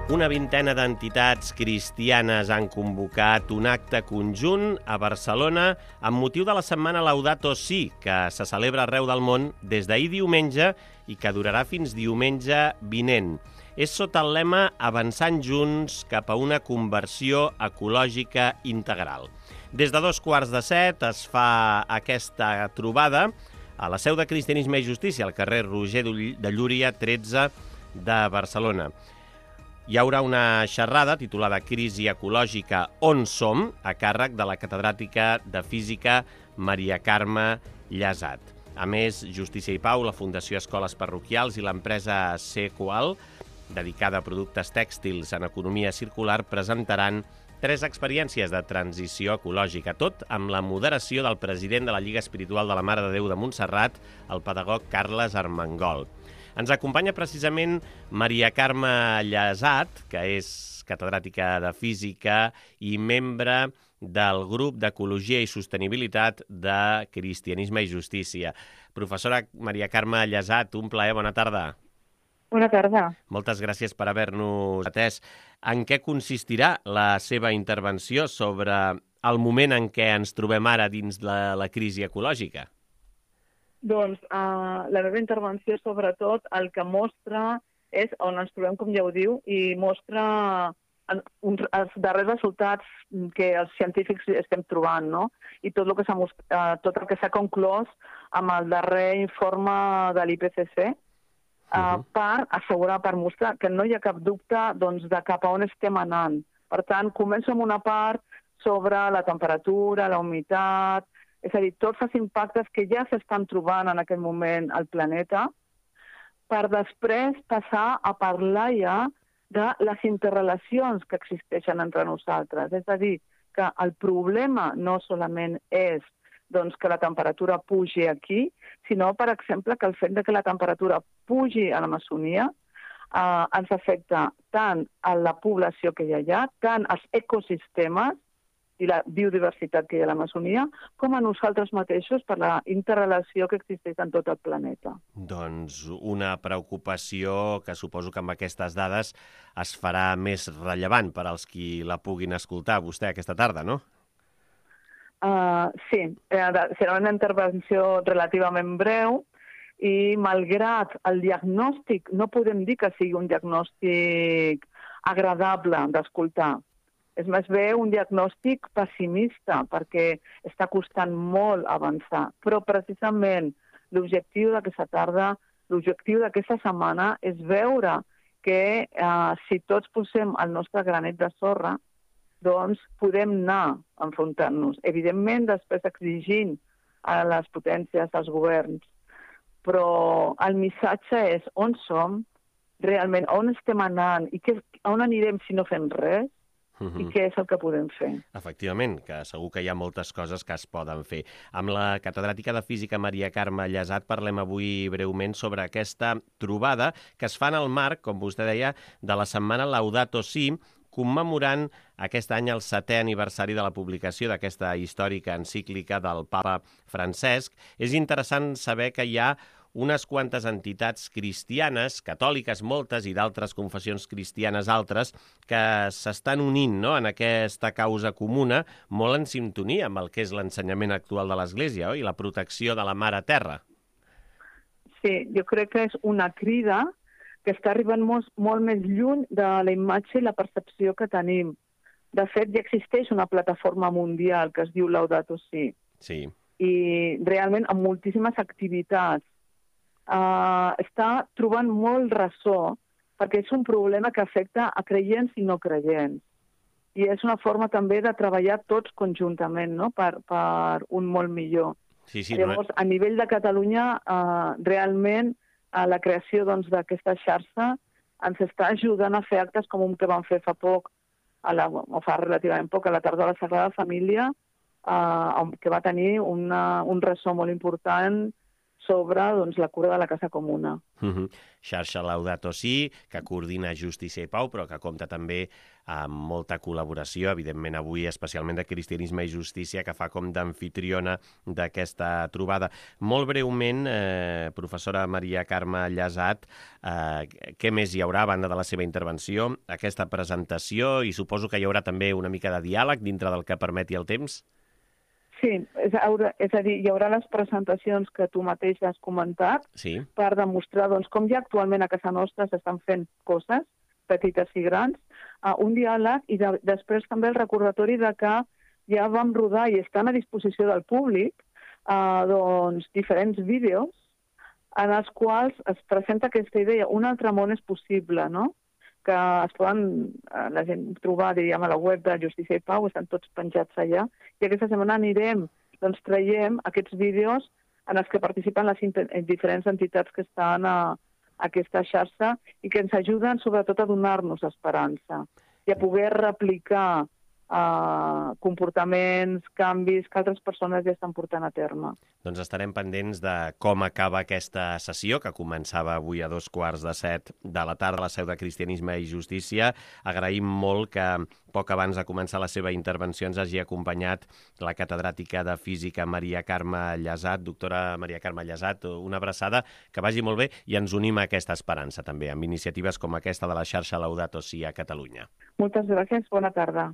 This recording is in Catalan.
Una vintena d'entitats cristianes han convocat un acte conjunt a Barcelona amb motiu de la setmana Laudato Si, que se celebra arreu del món des d'ahir diumenge i que durarà fins diumenge vinent. És sota el lema Avançant junts cap a una conversió ecològica integral. Des de 6:15 es fa aquesta trobada a la seu de Cristianisme i Justícia, al carrer Roger de Llúria 13 de Barcelona. Hi haurà una xerrada titulada Crisi ecològica, on som?, a càrrec de la catedràtica de Física Maria Carme Llasat. A més, Justícia i Pau, la Fundació Escoles Parroquials i l'empresa Sequal, dedicada a productes tèxtils en economia circular, presentaran 3 experiències de transició ecològica, tot amb la moderació del president de la Lliga Espiritual de la Mare de Déu de Montserrat, el pedagog Carles Armengol. Ens acompanya precisament Maria Carme Llasat, que és catedràtica de Física i membre del grup d'Ecologia i Sostenibilitat de Cristianisme i Justícia. Professora Maria Carme Llasat, un plaer, bona tarda. Bona tarda. Moltes gràcies per haver-nos atès. En què consistirà la seva intervenció sobre el moment en què ens trobem ara dins de la crisi ecològica? Doncs la meva intervenció, sobretot, el que mostra és on ens trobem, com ja ho diu, i mostra els darrers resultats que els científics estem trobant, no? I tot el que s'ha conclòs amb el darrer informe de l'IPCC, per assegurar, per mostrar que no hi ha cap dubte de cap a on estem anant. Per tant, començo amb una part sobre la temperatura, la humitat, és a dir, tots els impactes que ja s'estan trobant en aquest moment al planeta, per després passar a parlar ja de les interrelacions que existeixen entre nosaltres. És a dir, que el problema no solament és que la temperatura pugi aquí, sinó, per exemple, que el fet que la temperatura pugi a l'Amazonia ens afecta tant a la població que hi ha allà, tant als ecosistemes i la biodiversitat que hi ha a l'Amazonia, com a nosaltres mateixos per la interrelació que existeix en tot el planeta. Doncs una preocupació que suposo que amb aquestes dades es farà més rellevant per als qui la puguin escoltar vostè aquesta tarda, no? Sí, serà una intervenció relativament breu i malgrat el diagnòstic, no podem dir que sigui un diagnòstic agradable d'escoltar. És més bé un diagnòstic pessimista perquè està costant molt avançar. Però precisament l'objectiu d'aquesta tarda, l'objectiu d'aquesta setmana és veure que si tots posem el nostre granet de sorra, doncs podem anar enfrontant-nos. Evidentment, després exigint a les potències, als governs. Però el missatge és on som, realment, on estem anant i on anirem si no fem res, i què és el que podem fer. Efectivament, que segur que hi ha moltes coses que es poden fer. Amb la catedràtica de Física Maria Carme Llasat parlem avui breument sobre aquesta trobada que es fa en el marc, com vostè deia, de la setmana Laudato Si, commemorant aquest any el 7è aniversari de la publicació d'aquesta històrica encíclica del papa Francesc. És interessant saber que hi ha unes quantes entitats cristianes, catòliques moltes i d'altres confessions cristianes altres, que s'estan unint, no?, en aquesta causa comuna, molt en sintonia amb el que és l'ensenyament actual de l'Església, i la protecció de la Mare Terra. Sí, jo crec que és una crida que està arribant molt més lluny de la imatge i la percepció que tenim. De fet, ja existeix una plataforma mundial que es diu Laudato Si. Sí. I realment amb moltíssimes activitats. Està trobant molt ressò perquè és un problema que afecta a creients i no creients. I és una forma també de treballar tots conjuntament, no?, per un molt millor. Sí, Llavors, a nivell de Catalunya, realment, la creació d'aquesta xarxa ens està ajudant a fer actes com un que vam fer fa poc, o fa relativament poc, a la tarda de la Sagrada Família, que va tenir un ressò molt important sobre la cura de la casa comuna. Xarxa Laudato Si, que coordina Justícia i Pau, però que compta també amb molta col·laboració, evidentment avui especialment de Cristianisme i Justícia, que fa com d'amfitriona d'aquesta trobada. Molt breument, professora Maria Carme Llasat, què més hi haurà a banda de la seva intervenció? Aquesta presentació, i suposo que hi haurà també una mica de diàleg dintre del que permeti el temps? Sí, és a dir, hi haurà les presentacions que tu mateix has comentat per demostrar com ja actualment a casa nostra s'estan fent coses, petites i grans, un diàleg i després també el recordatori de que ja vam rodar i estan a disposició del públic diferents vídeos en els quals es presenta aquesta idea. Un altre món és possible, no? Que es poden la gent trobar, diríem, a la web de Justícia i Pau, estan tots penjats allà, i aquesta setmana traiem aquests vídeos en els que participen les diferents entitats que estan a aquesta xarxa i que ens ajuden sobretot a donar-nos esperança i a poder replicar comportaments, canvis que altres persones ja estan portant a terme. Doncs estarem pendents de com acaba aquesta sessió, que començava avui a 2:15 de la tarda a la seu de Cristianisme i Justícia. Agraïm molt que poc abans de començar la seva intervenció ens hagi acompanyat la catedràtica de Física Maria Carme Llasat. Doctora Maria Carme Llasat, una abraçada, que vagi molt bé i ens unim a aquesta esperança també, amb iniciatives com aquesta de la xarxa Laudato Si a Catalunya. Moltes gràcies, bona tarda.